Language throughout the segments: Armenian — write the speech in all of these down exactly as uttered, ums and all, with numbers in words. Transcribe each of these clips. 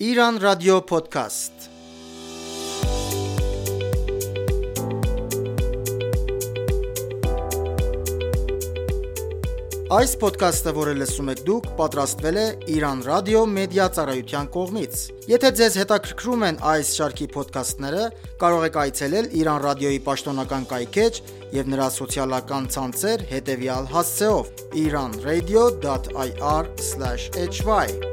Iran Radio Podcast. Այս ոդքասթը, որը լսում եք դուք, պատրաստվել է Iran Radio Media ծառայության կողմից։ Եթե ձեզ հետաքրքրում են այս շարքի ոդքասթները, կարող եք այցելել Iran Radio-ի պաշտոնական կայքէջ եւ նրա սոցիալական ցանցեր հետեւյալ հասցեով՝ iran radio dot i r slash h y.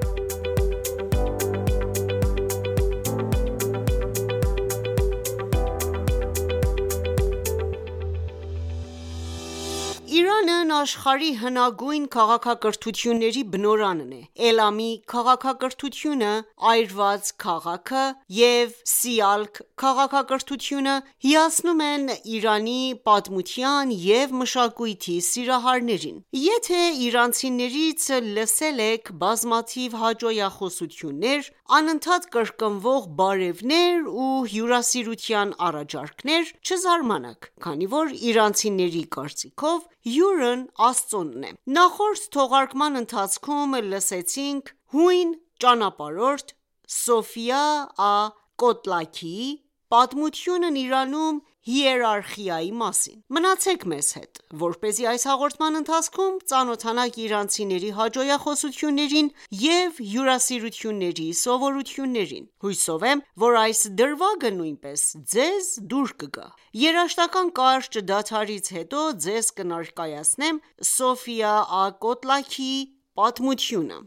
Իրանն աշխարհի հնագույն քաղաքակրթությունների բնօրանն է։ Էլամի քաղաքակրթությունը, այրված քաղաքը և Սիալք քաղաքակրթությունը հիացնում են Իրանի պատմության և մշակույթի սիրահարներին։ Եթե իրանցիներից լսել եք բազմաթիվ հաճոյախոսություններ, անընդհատ կրկնվող բարևներ ու հյուրասիրության առաջարկներ, չզարմանաք, քանի որ իրանցիների կարծիքով հյուրն Աստծոն է։ Նախորդ թողարկման ընթացքում լսեցինք հույն ճանապարհորդ Սոֆիա Ա.Կոտլաքիի պատմությունն Իրանում հիերարխիայի մասին։ Մնացեք մեզ հետ, որպեսզի այս հաղորդման ընթացքում ծանոթանաք իրանցիների հաճոյախոսություններին և հյուրասիրությունների սովորույթներին։ Հուսով եմ, որ այս դրվագը նույնպես ձեզ դուր կգա։ Երաժշտական կարճ դադարից հետո ձեզ կներկայացնեմ Սոֆիա Ա.Կոտլաքիի պատմությունը։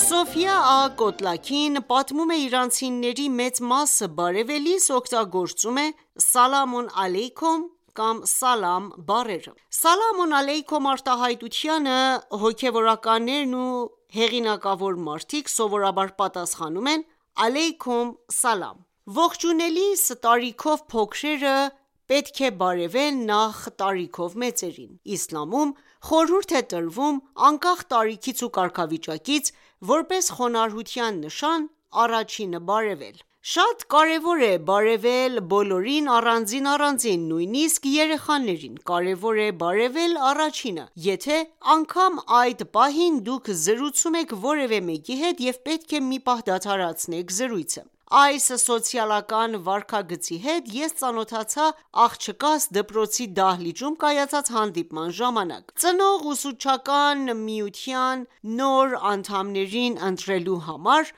Սոֆիա Ա.Կոտլաքին պատմում է իրանցիների մեծ մասը բարևելիս օգտագործում է «Սալամուն ալեյքում» կամ «Սալամ» բառերը։ «Սալամուն ալեյքում» արտահայտությանը հոգևորականներն ու հեղինակավոր մարդիկ սովորաբար պատասխանում են «Ալեյքում սալամ»։ Ողջունելիս տարիքով փոքրերը պետք է բարևեն նախ տարիքով մեծերին։ Իսլամում խորհուրդ է տրվում անկախ տարիքից ու կարգավիճակից, որպես խոնարհության նշան, առաջինը բարևել։ Շատ կարևոր է բարևել բոլորին առանձին առանձին, նույնիսկ երեխաներին։ Կարևոր է բարևել առաջինը, եթե անգամ այդ պահին դուք զրուցում եք որևէ մեկի հետ և պետք է մի պահ դադարեցնեք զրույցը։ Այս սոցիալական վարքագծի հետ ես ծանոթացա աղջկաս դպրոցի դահլիճում կայացած հանդիպման ժամանակ։ Ծնող ուսուցչական միության նոր անդամներին ընտրելու համար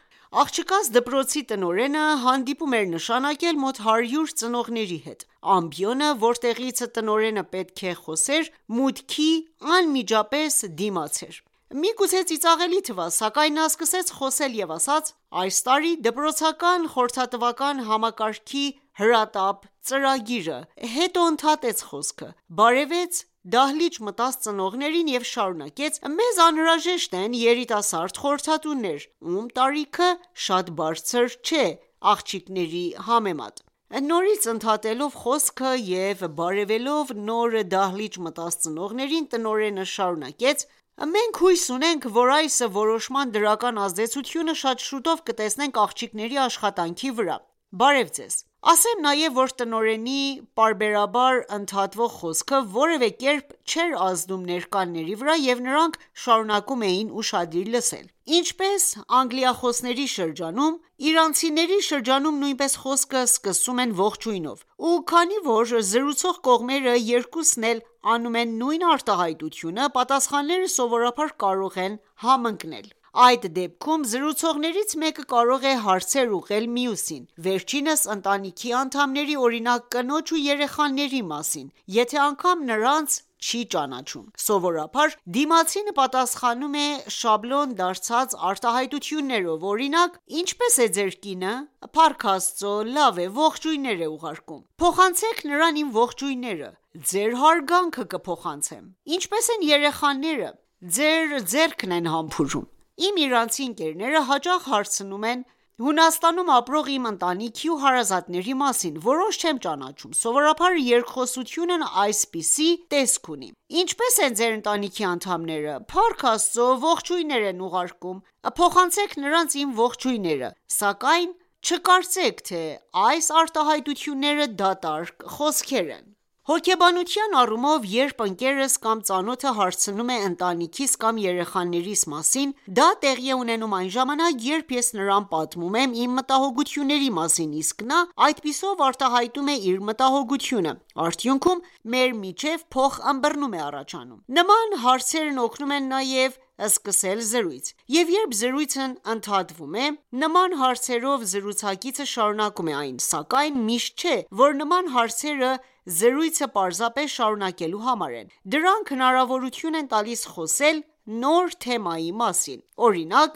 աղջկաս դպրոցի տնօրենը հանդիպում էր նշանակել մոտ հարյուր ծնողների հետ։ Ամբիոնը, որտեղից տնօրենը պետք է խոսեր, մուտքի անմիջապես դիմաց էր։ Միգուցե ծիծաղելի թվա, սակայն նա սկսեց խոսել և ասաց. «Այս տարի դպրոցական խորհրդատվական համակարգի հրատապ ծրագիրը», հետո ընդհատեց խոսքը, բարևեց դահլիճ մտած ծնողներին և շարունակեց. «Մեզ անհրաժեշտ են երիտասարդ խորհրդատուներ, ում տարիքը շատ բարձր չէ աղջիկների համեմատ»։ Նորից ընդհատելով խոսքը և բարևելով նոր դահլիճ մտած ծնողներին, տնօրենը շարունակեց. «Մենք հույս ունենք, որ այս որոշման դրական ազդեցությունը շատ շուտով կտեսնենք աղջիկների աշխատանքի վրա։ Բարև ձեզ»։ Ասեմ նաև, որ տնօրենի պարբերաբար ընդհատվող խոսքը որևէ կերպ չէր ազդում ներկաների վրա, և նրանք շարունակում էին ուշադիր լսել։ Ինչպես անգլիախոսների շրջանում, իրանցիների շրջանում նույնպես խոսքը սկսում են ողջույնով, ու քանի որ զրուցող կողմերը երկուսն էլ անում են նույն արտահայտությունը, պատասխանները սովորաբար կարող են համընկնել։ Այդ դեպքում զրուցողներից մեկը կարող է հարցեր ուղղել մյուսին, վերջինս ընտանիքի անդամների, օրինակ կնոջ ու երեխաների մասին, եթե անգամ նրանց չի ճանաչում։ Սովորաբար դիմացինը պատասխանում է շաբլոն դարձած արտահայտություններով, օրինակ. «Ինչպե՞ս է ձեր կինը»։ «Փառք Աստծո, լավ է, ողջույններ է ուղարկում»։ «Փոխանցեք նրան իմ ողջույնները»։ «Ձեր հարգանքը կփոխանցեմ»։ «Ինչպե՞ս են երեխաները»։ «Ձեր ձեռքն են համբուրում»։ Իմ իրանցի ընկերները հաճախ հարցնում են. Հունաստանում ապրող իմ ընտանիքի ու հարազատների մասին որոշ չեմ ճանաչում: Սովորաբար երկխոսությունն այսպիսի տեսք ունի. Ինչպե՞ս են ձեր ընտանիքի անդամները: Փառք Աստծո, ողջույններ են ուղարկում: Փոխանցեք նրանց իմ ողջույնները: Սակայն չկարծեք, թե այս արտահայտությունները դատարկ խոսքեր են: Հոգեբանության առումով, երբ ընկերս կամ ծանոթը հարցնում է ընտանիքիս կամ երեխաներիս մասին, դա տեղի է ունենում այն ժամանակ, երբ ես նրան պատմում եմ իմ մտահոգությունների մասին, իսկ նա այդպիսով արտահայտում է իր մտահոգությունը: Արդյունքում մեր միջև փոխըմբռնում է առաջանում: Նման հարցերն օգնում են նաև սկսել զրույց: Եվ երբ զրույցն ընդհատվում է, նման հարցերով զրուցակիցը շարունակում է այն: Սակայն միշտ չէ, որ նման հարցերը զրույցը պարզապես շարունակելու համար են: Դրանք հնարավորություն են տալիս խոսել նոր թեմայի մասին: Օրինակ,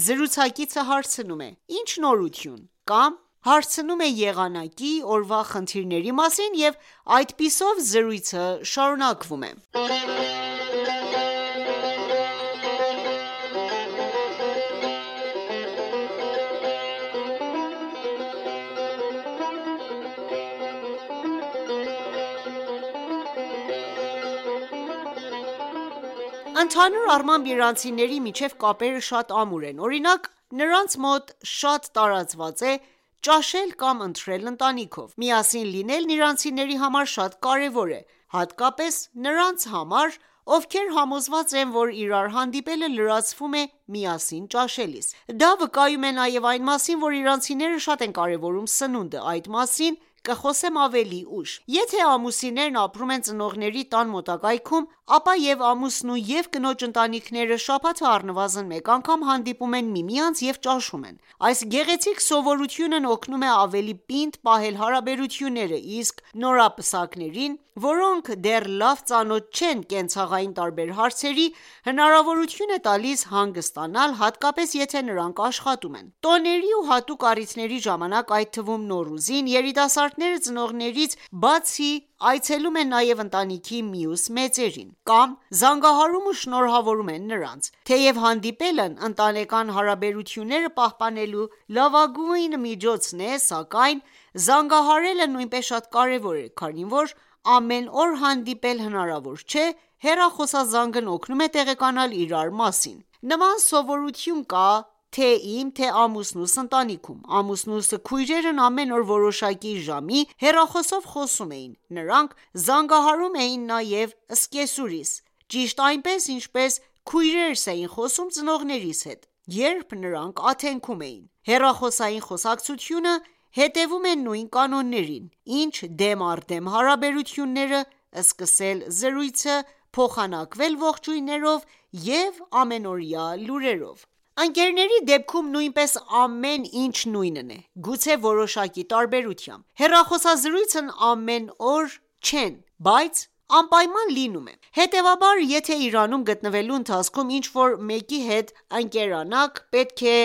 զրուցակիցը հարցնում է. «Ի՞նչ նորություն»: Կամ հարցնում է եղանակի, օրվա խնդիրների մասին և այդպիսով զրույցը շարունակվում է: Ընդհանուր առմամբ, իրանցիների միջև կապերը շատ ամուր են: Օրինակ, նրանց մոտ շատ տարածված է ճաշել կամ ընթրել ընտանիքով: Միասին լինելն իրանցիների համար շատ կարևոր է, հատկապես նրանց համար, ովքեր համոզված են, որ իրար հանդիպելը լրացվում է միասին ճաշելիս: Դա վկայում է նաև այն մասին, որ իրանցիները շատ են կարևորում սնունդը: Այդ մասին կխոսեմ ավելի ուշ: Եթե ամուսիններն ապրում են ծնողների տան մոտակայքում, ապա և ամուսնու և կնոջ ընտանիքները շաբաթը առնվազն մեկ անգամ հանդիպում են միմյանց և ճաշում են: Այս գեղեցիկ սովորությունն օգնում է ավելի պինդ պահել հարաբերությունները, իսկ նորապսակներին, որոնք դեռ լավ ծանոթ չեն կենցաղային տարբեր հարցերի, հնարավորություն է տալիս հանգստանալ, հատկապես եթե նրանք աշխատում են: Տոների ու հատուկ առիթների ժամանակ, այդ թվում Նոռուզին, երիտասարդները ծնողներից բացի այցելում են նաև ընտանիքի մյուս մեծերին, կամ զանգահարում ու շնորհավորում են նրանց: Թեև հանդիպելն ընտանեկան հարաբերությունները պահպանելու լավագույն միջոցն է, սակայն զանգահարելը նույնպես շատ կարևոր է, քանի որ ամեն օր հանդիպել հնարավոր չէ: Հեռախոսազանգն օգնում է տեղեկանալ իրար մասին: Նման սովորություն կա թե իմ, թե ամուսնուս ընտանիքում: Ամուսնուս քույրերն ամեն օր որոշակի ժամի հեռախոսով խոսում էին: Նրանք զանգահարում էին նաև սկեսուրիս, ճիշտ այնպես, ինչպես քույրերս էին խոսում ծնողներիս հետ, երբ նրանք աթենքում էին: Հեռախոսային խոսակցությունը հետևում է նույն կանոններին, ինչ դեմ առ դեմ հարաբերությունները, սկսել զրույցը, փոխանակվել ողջույններով և ամենօրյա լուրերով: Ընկերների դեպքում նույնպես ամեն ինչ նույնն է, գուցե որոշակի տարբերությամբ: Հեռախոսազրույցն ամեն օր չեն, բայց անպայման լինում է: Հետևաբար, եթե Իրանում գտնվելու ընթացքում ինչ-որ մեկի հետ ընկերանաք, պետք է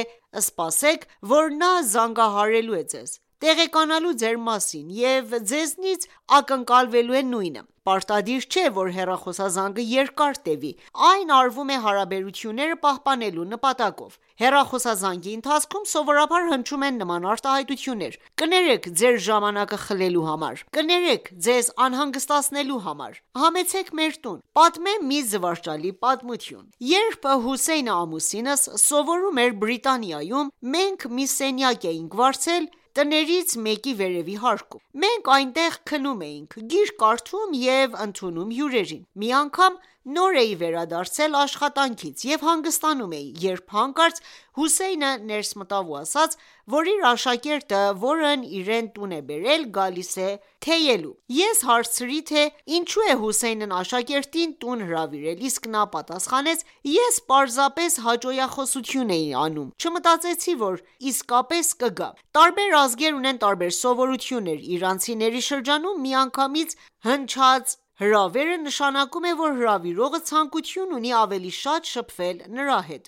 սպասեք, որ նա զանգահարելու է ձեզ, տեղեկանալու ձեր մասին և ձեզնից ակնկալվելու է նույնը: Պարտադիր չէ, որ հեռախոսազանգը երկար տևի: Այն արվում է հարաբերությունները պահպանելու նպատակով: Հեռախոսազանգի ընթացքում սովորաբար հնչում են նման արտահայտություններ. «Կներեք ձեր ժամանակը խլելու համար», «Կներեք ձեզ անհանգստացնելու համար», «Համեցեք մեր տուն»: Պատմեմ մի զվարճալի պատմություն: Երբ Հուսեյնը ամուսինս սովորում էր Բրիտանիայում, մենք մի սենյակ էինք վարձել տներից մեկի վերևի հարկում: Մենք այնտեղ քնում էինք, գիրք կարդում և ընդունում հյուրերին: Մի անգամ նոր էի վերադարձել աշխատանքից և հանգստանում էի, երբ հանկարծ Հուսեյնը ներս մտավ ու ասաց, որ իր աշակերտը, որն իրեն տուն է բերել, գալիս է թեյելու: Ես հարցրի, թե ինչու է Հուսեյնն աշակերտին տուն հրավիրել, իսկ նա պատասխանեց. «Ես պարզապես հաճոյախոսություն էի անում, չմտածեցի, որ իսկապես կգա»: Տարբեր ազգեր ունեն տարբեր սովորություններ: Իրանցիների շրջանում միանգամից հնչած հրավերը նշանակում է, որ հրավիրողը ցանկություն ունի ավելի շատ շփվել նրա հետ,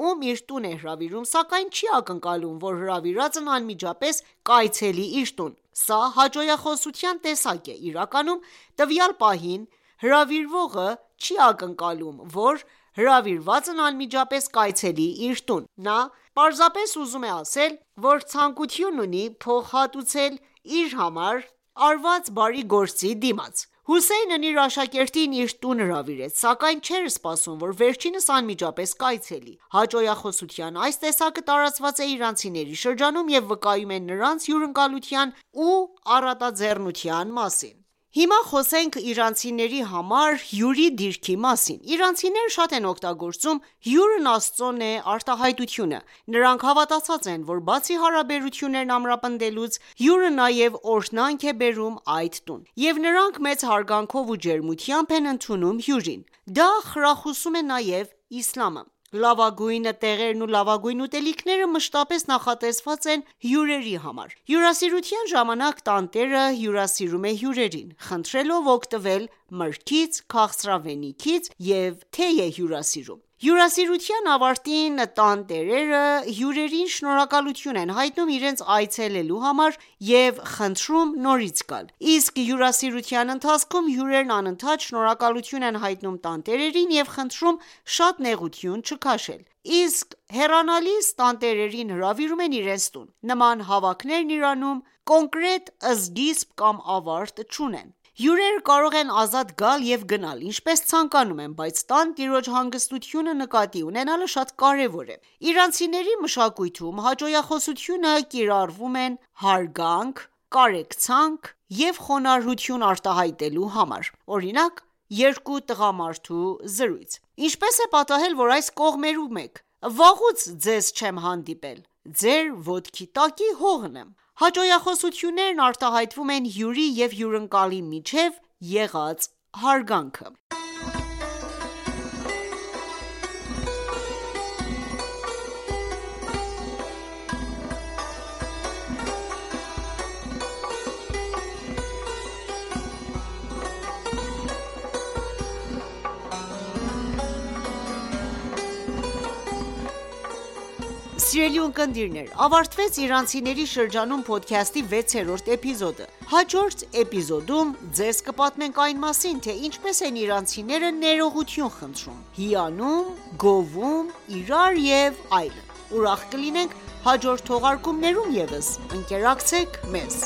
ում իր տուն է հրավիրում, սակայն չի ակնկալում, որ հրավիրածն անմիջապես կայցելի իր տուն: Սա հաճոյախոսության տեսակ է: Իրականում տվյալ պահին հրավիրվողը չի ակնկալում, որ հրավիրվածն անմիջապես կայցելի իր տուն: Նա պարզապես ուզում է ասել, որ ցանկություն ունի փոխհատուցել իր համար արված բարի գործի դիմաց: Հոսեյնն իր աշակերտին իր տուն հրավիրեց, սակայն չէր սպասում, որ վերջինս անմիջապես կայցելի: Հաճոյախոսության այս տեսակը տարածված է իրանցիների շրջանում և վկայում է նրանց հյուրընկալության ու առատաձեռնության մասին: Հիմա խոսենք իրանցիների համար հյուրի դիրքի մասին: Իրանցիները շատ են օգտագործում «հյուրն Աստծուն է» արտահայտությունը: Նրանք հավատացած են, որ բացի հարաբերություններն ամրապնդելուց, հյուրը նաև օրհնանք է բերում այդ տուն: Եվ նրանք մեծ հարգանքով ու ջերմությամբ են ընդունում հյուրին: Դա խրախուսում է նաև իսլամը: Լավագույն տեղերն ու լավագույն ուտելիքները մշտապես նախատեսված են հյուրերի համար: Հյուրասիրության ժամանակ տանտերը հյուրասիրում է հյուրերին, խնդրելով օգտվել մրգից, քաղցրավենիքից և թեյ է հյուրասիրում: Հյուրասիրության ավարտին տանտերերը հյուրերին շնորհակալություն են հայտնում իրենց այցելելու համար և խնդրում նորից գալ: Իսկ հյուրասիրության ընթացքում հյուրերն անընդհատ շնորհակալություն են հայտնում տանտերերին և խնդրում շատ նեղություն չքաշել: Իսկ հեռանալիս տանտերերին հրավիրում են իրենց տուն: Նման հավաքներն Իրանում կոնկրետ սկիզբ կամ ավարտ չունեն: Հյուրերը կարող են ազատ գալ և գնալ ինչպես ցանկանում են, բայց տան տիրոջ հանգստությունը նկատի ունենալը շատ կարևոր է: Իրանցիների մշակույթում հաճոյախոսությունը կիրառվում են հարգանք, կարեկցանք և խոնարհություն արտահայտելու համար: Օրինակ, երկու տղամարդու զրույց: Ինչպես է պատահել, որ այս կողմերում եք: Վաղուց ձեզ չեմ հանդիպել: Ձեր ոտքի տակի հողն եմ: Հաճոյախոսություններն արտահայտվում են հյուրի և հյուրընկալի միջև եղած հարգանքը: Սիրելի ունկնդիրներ, ավարտվեց «Իրանցիների շրջանում» փոդքասթի վեցերորդ էպիզոդը: Հաջորդ էպիզոդում ձեզ կպատմենք այն մասին, թե ինչպես են իրանցիները ներողություն խնդրում, հիանում, գովում իրար և այլն: Ուրախ կլինենք հաջորդ թողարկումներում ևս: Ընկերակցեք մեզ: